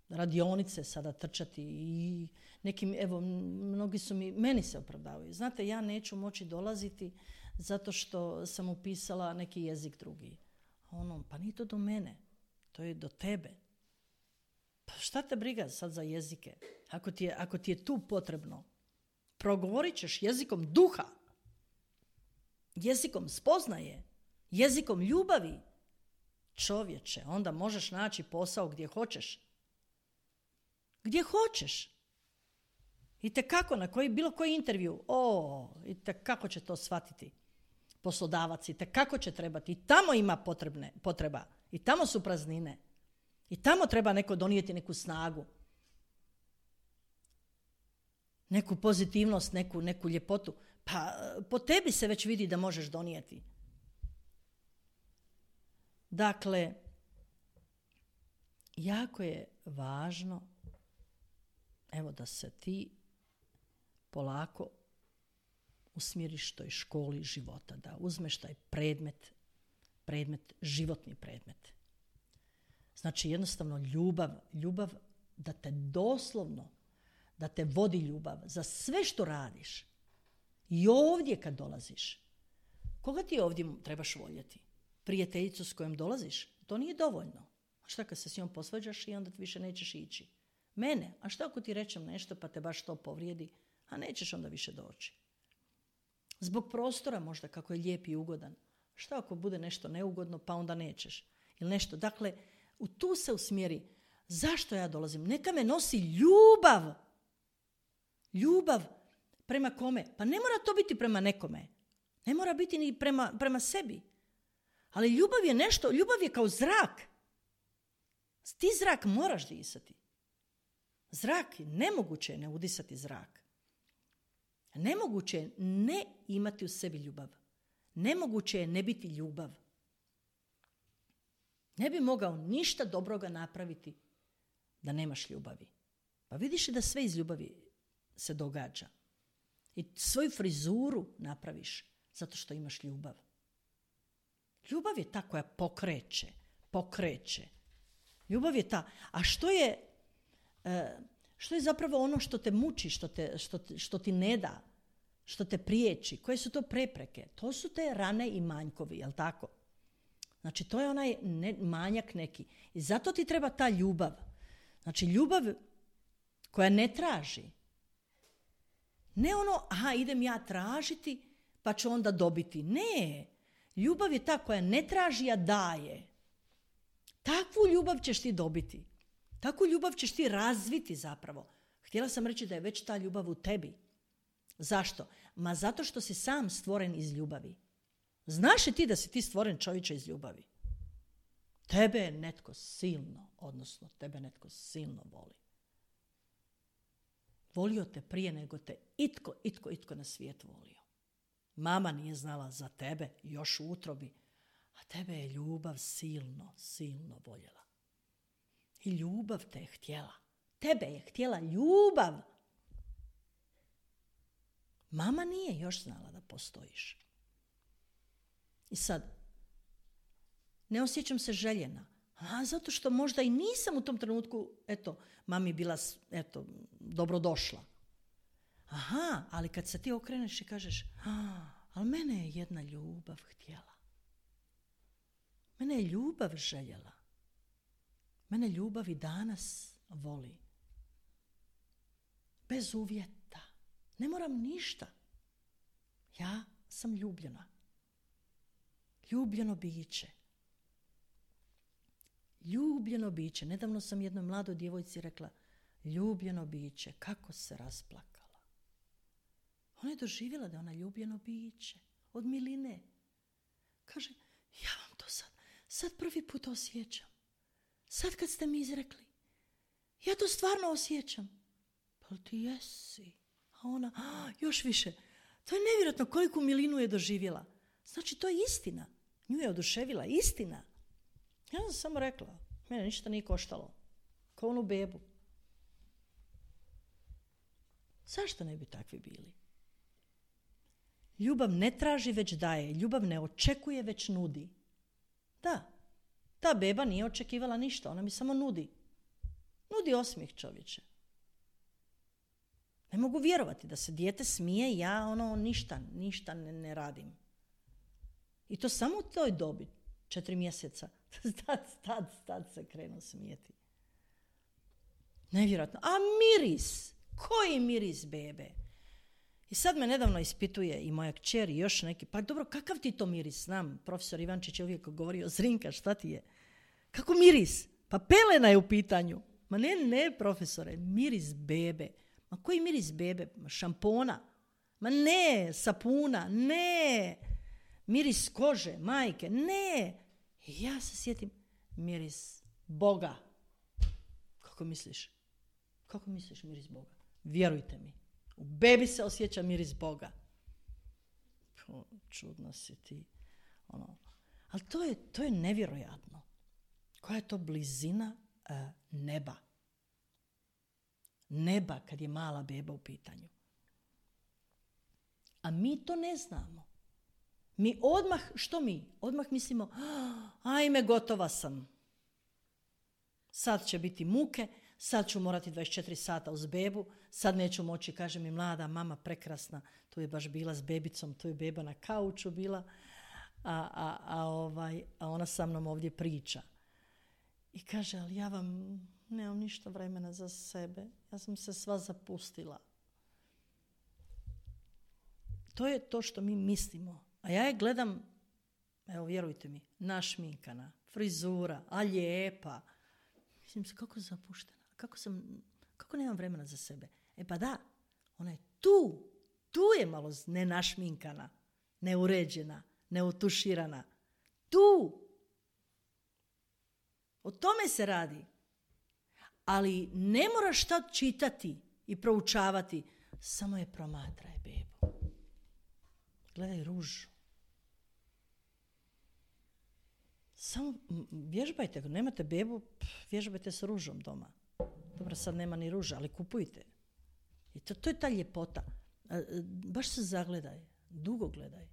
radionice sada trčati i nekim, evo, mnogi su meni se opravdavaju. Znate, ja neću moći dolaziti zato što sam upisala neki jezik drugi. Pa nije to do mene, to je do tebe. Pa šta te briga sad za jezike? Ako ti je tu potrebno, progovorit ćeš jezikom duha, jezikom spoznaje, jezikom ljubavi. Čovječe, onda možeš naći posao gdje hoćeš. Gdje hoćeš. I tekako, na bilo koji intervju, i tekako će to shvatiti poslodavac, i tekako će trebati. I tamo ima potreba. I tamo su praznine. I tamo treba neko donijeti neku snagu. Neku pozitivnost, neku ljepotu. Pa po tebi se već vidi da možeš donijeti. Dakle, jako je važno da se ti polako usmjeriš toj školi života, da uzmeš taj predmet, životni predmet. Znači jednostavno ljubav da te doslovno, da te vodi ljubav za sve što radiš. I ovdje kad dolaziš, koga ti ovdje trebaš voljeti? Prijateljicu s kojom dolaziš? To nije dovoljno. A šta kad se s njom posvađaš i onda više nećeš ići? Mene, a šta ako ti rečem nešto pa te baš to povrijedi, a nećeš onda više doći? Zbog prostora možda kako je lijep i ugodan. Šta ako bude nešto neugodno pa onda nećeš? Ili nešto. Dakle, tu se usmjeri. Zašto ja dolazim? Neka me nosi ljubav. Ljubav prema kome? Pa ne mora to biti prema nekome. Ne mora biti ni prema sebi. Ali ljubav je nešto, ljubav je kao zrak. Ti zrak moraš disati. Zrak, nemoguće je ne udisati zrak. Nemoguće je ne imati u sebi ljubav. Nemoguće je ne biti ljubav. Ne bi mogao ništa dobroga napraviti da nemaš ljubavi. Pa vidiš da sve iz ljubavi se događa. I svoju frizuru napraviš zato što imaš ljubav. Ljubav je ta koja pokreće. Ljubav je ta. A što je zapravo ono što te muči, što ti ne da, što te priječi? Koje su to prepreke? To su te rane i manjkovi, jel tako? Znači, to je onaj manjak neki. I zato ti treba ta ljubav. Znači, ljubav koja ne traži. Ne ono, idem ja tražiti, pa ću onda dobiti. Ne. Ljubav je ta koja ne traži, a daje. Takvu ljubav ćeš ti dobiti. Takvu ljubav ćeš ti razviti zapravo. Htjela sam reći da je već ta ljubav u tebi. Zašto? Zato što si sam stvoren iz ljubavi. Znaš li ti da si ti stvoren, čovječe, iz ljubavi? Tebe je netko silno, odnosno tebe netko silno voli. Volio te prije nego te itko na svijet volio. Mama nije znala za tebe još u utrobi, a tebe je ljubav silno voljela. I ljubav te je htjela. Tebe je htjela ljubav. Mama nije još znala da postojiš. I sad, ne osjećam se željena. Zato što možda i nisam u tom trenutku, mami bila, dobrodošla. Ali kad se ti okreneš i kažeš, ali mene je jedna ljubav htjela. Mene je ljubav željela. Mene ljubav i danas voli. Bez uvjeta. Ne moram ništa. Ja sam ljubljena. Ljubljeno biće. Ljubljeno biće. Nedavno sam jednoj mladoj djevojci rekla, ljubljeno biće, kako se rasplakala. Ona je doživjela da je ona ljubljeno biće. Od miline. Kaže, ja vam to sad prvi put osjećam. Sad kad ste mi izrekli, ja to stvarno osjećam. Pa ti jesi. A ona, još više. To je nevjerojatno koliku milinu je doživjela. Znači, to je istina. Nju je oduševila istina. Ja sam samo rekla, mene ništa nije koštalo. Kao onu bebu. Zašto ne bi takvi bili? Ljubav ne traži, već daje. Ljubav ne očekuje, već nudi. Da, ta beba nije očekivala ništa. Ona mi samo nudi. Nudi osmijeh, čovječe. Ne mogu vjerovati da se dijete smije, ja ništa ne radim. I to samo u toj dobi, 4 mjeseca. Tad se krenu smijeti. Nevjerojatno. A miris? Koji miris bebe? I sad me nedavno ispituje i moja kćer i još neki. Pa dobro, kakav ti to miris? Znam, profesor Ivančić je uvijek govorio, Zrinka, šta ti je? Kako miris? Pa pelena je u pitanju. Ma ne, profesore, miris bebe. Ma koji miris bebe? Šampona? Ma ne, sapuna? Ne. Miris kože, majke? Ne. I ja se sjetim, miris Boga. Kako misliš? Kako misliš miris Boga? Vjerujte mi, u bebi se osjeća miris Boga. Čudno si ti. Ali to je nevjerojatno. Koja je to blizina neba? Neba kad je mala beba u pitanju. A mi to ne znamo. Mi odmah, što mi? Odmah mislimo, ajme, gotova sam. Sad će biti muke, sad ću morati 24 sata uz bebu, sad neću moći, kaže mi mlada mama, prekrasna, tu je baš bila s bebicom, tu je beba na kauču bila, a ona sa mnom ovdje priča. I kaže, ali ja vam nemam ništa vremena za sebe, ja sam se sva zapustila. To je to što mi mislimo. A ja je gledam, evo vjerujte mi, našminkana, frizura, a lijepa. Mislim se, kako zapuštena, kako nemam vremena za sebe. Pa da, ona je tu je malo nenašminkana, neuređena, neutuširana. Tu. O tome se radi. Ali ne moraš šta čitati i proučavati, samo je promatraj, bebu. Gledaj ružu. Samo vježbajte, ako nemate bebu, vježbajte s ružom doma. Dobro, sad nema ni ruža, ali kupujte. I to je ta ljepota. Baš se zagledaj, dugo gledaj.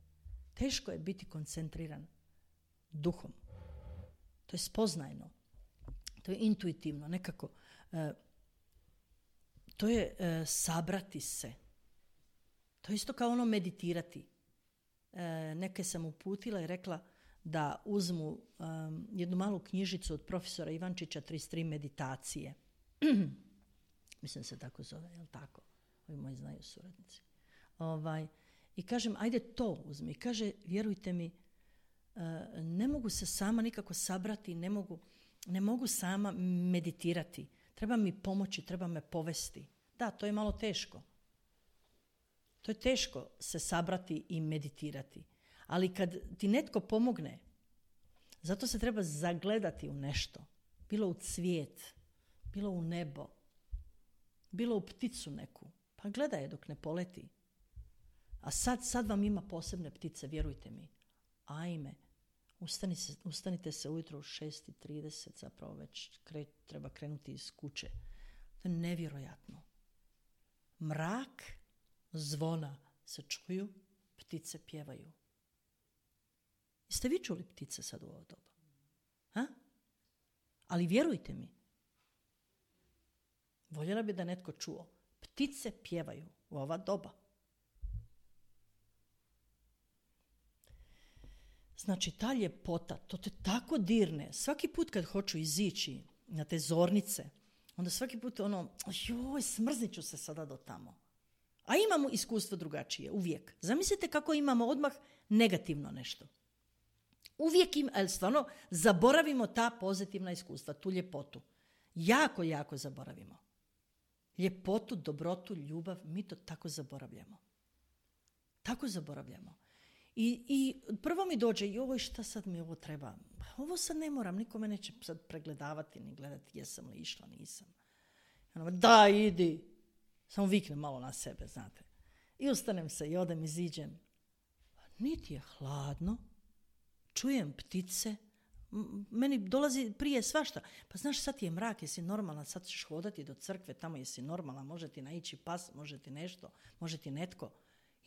Teško je biti koncentriran duhom. To je spoznajno. To je intuitivno, nekako. To je sabrati se. To je isto kao ono meditirati. Neke sam uputila i rekla, da uzmu jednu malu knjižicu od profesora Ivančića, 33 meditacije. Mislim se tako zove, jel tako? Ovi moji znaju suradnici. I kažem, ajde to uzmi. Kaže, vjerujte mi, ne mogu se sama nikako sabrati, ne mogu sama meditirati. Treba mi pomoći, treba me povesti. Da, to je malo teško. To je teško se sabrati i meditirati. Ali kad ti netko pomogne, zato se treba zagledati u nešto. Bilo u cvijet, bilo u nebo, bilo u pticu neku. Pa gledaj je dok ne poleti. A sad vam ima posebne ptice, vjerujte mi. Ajme, ustanite se ujutro u 6:30, zapravo već treba krenuti iz kuće. To je nevjerojatno. Mrak, zvona se čuju, ptice pjevaju. Jeste vi čuli ptice sad u ovo doba? Ha? Ali vjerujte mi, voljela bi da netko čuo. Ptice pjevaju u ova doba. Znači, ta ljepota, to te tako dirne. Svaki put kad hoću izići na te zornice, onda svaki put smrznit ću se sada do tamo. A imamo iskustvo drugačije, uvijek. Zamislite kako imamo odmah negativno nešto. Uvijek ali stvarno zaboravimo ta pozitivna iskustva, tu ljepotu. Jako, jako zaboravimo. Ljepotu, dobrotu, ljubav, mi to tako zaboravljamo. Tako zaboravljamo. I prvo mi dođe, šta sad mi ovo treba? Ovo sad ne moram, niko me neće sad pregledavati ni gledati jesam li išla, nisam. Da, idi. Samo viknem malo na sebe, znate. I ustanem se i odem, iziđem. Niti je hladno, čujem ptice, meni dolazi prije svašta. Pa znaš, sad ti je mrak, jesi normalna, sad ćeš hodati do crkve, tamo jesi normalna, može ti naići pas, može ti nešto, može ti netko.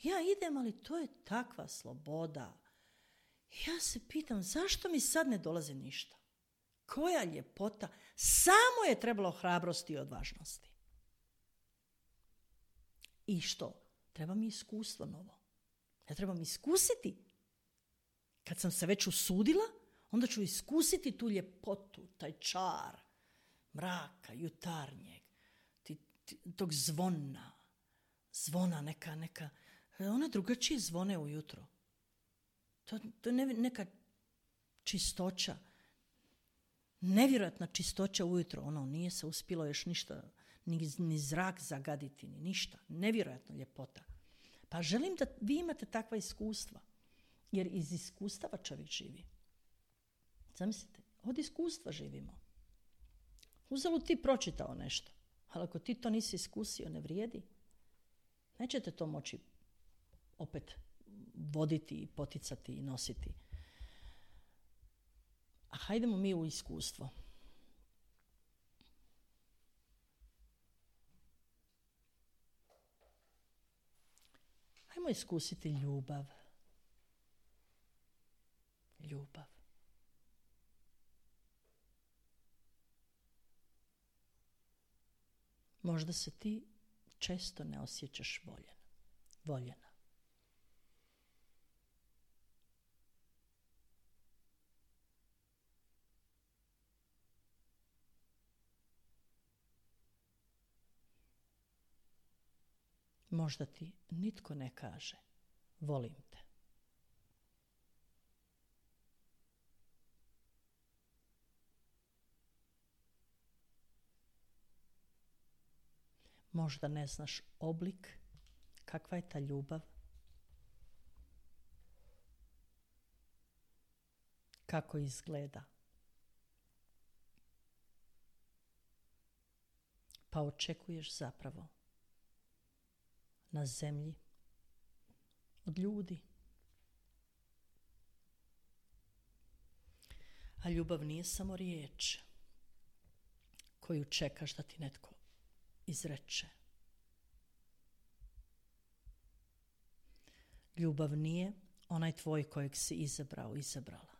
Ja idem, ali to je takva sloboda. Ja se pitam, zašto mi sad ne dolazi ništa? Koja ljepota? Samo je trebalo hrabrosti i odvažnosti. I što? Treba mi iskustvo novo. Ja trebam iskusiti. Kad sam se već usudila, onda ću iskusiti tu ljepotu, taj čar mraka, jutarnjeg, tog zvona neka. One drugačije zvone ujutro. To je neka čistoća. Nevjerojatna čistoća ujutro. Nije se uspjelo još ništa, ni zrak zagaditi, ni ništa. Nevjerojatna ljepota. Pa želim da vi imate takva iskustva. Jer iz iskustava čovjek živi. Zamislite, od iskustva živimo. Uzalud ti pročitao nešto. Ali ako ti to nisi iskusio, ne vrijedi. Nećete to moći opet voditi i poticati i nositi. A hajdemo mi u iskustvo. Hajmo iskusiti ljubav. Ljubav. Možda se ti često ne osjećaš voljena. Možda ti nitko ne kaže, volim te. Možda ne znaš oblik, kakva je ta ljubav, kako izgleda. Pa očekuješ zapravo na zemlji od ljudi. A ljubav nije samo riječ koju čekaš da ti netko izreče. Ljubav nije onaj tvoj kojeg si izabrala.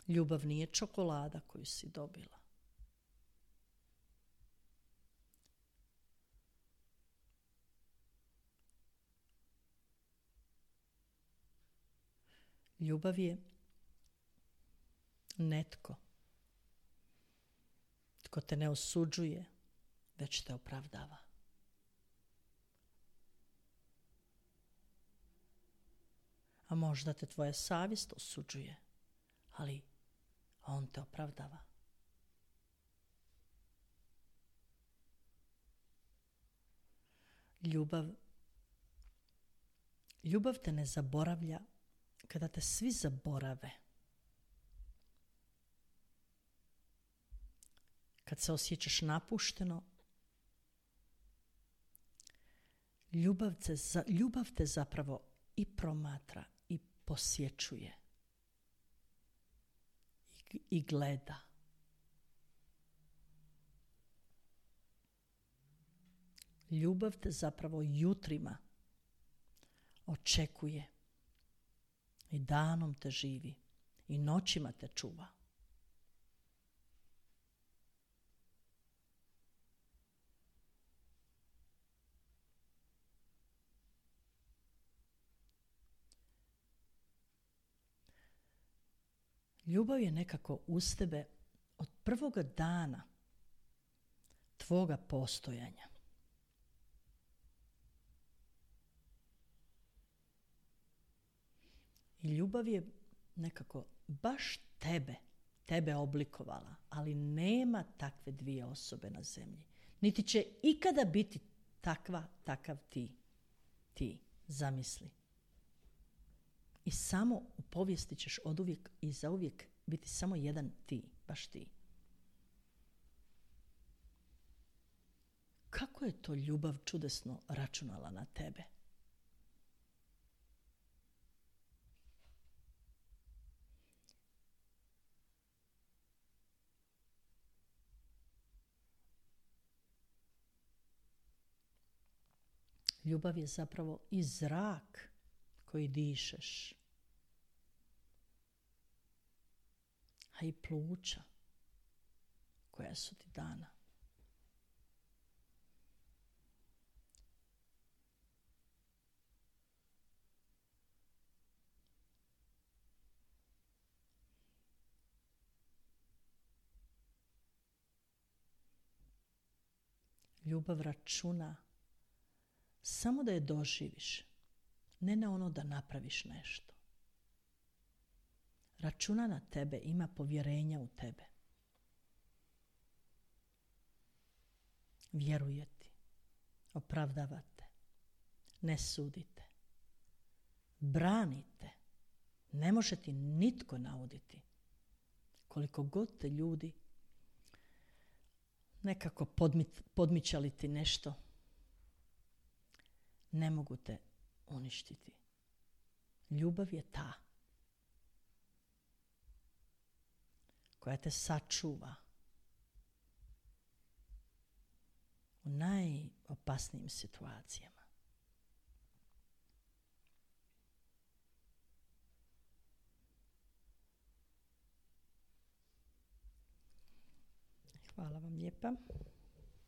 Ljubav nije čokolada koju si dobila. Ljubav je netko tko te ne osuđuje, već te opravdava. A možda te tvoja savjest osuđuje, ali on te opravdava. Ljubav te ne zaboravlja kada te svi zaborave. Kad se osjećaš napušteno, ljubav te zapravo i promatra i posjećuje i gleda. Ljubav te zapravo jutrima očekuje i danom te živi i noćima te čuva. Ljubav je nekako uz tebe od prvoga dana tvoga postojanja. I ljubav je nekako baš tebe oblikovala, ali nema takve dvije osobe na zemlji. Niti će ikada biti takav ti, zamisli. I samo u povijesti ćeš oduvijek i zauvijek biti samo jedan ti, baš ti. Kako je to ljubav čudesno računala na tebe? Ljubav je zapravo i zrak koji dišeš, a i pluća koja su ti dana. Ljubav računa samo da je doživiš, ne na ono da napraviš nešto. Računa na tebe, ima povjerenja u tebe. Vjeruje ti, opravdava te, ne sudite, branite. Ne može ti nitko nauditi. Koliko god te ljudi nekako podmičali ti nešto, ne mogu te uništiti. Ljubav je ta koja te sačuva u najopasnijim situacijama. Hvala vam lijepa.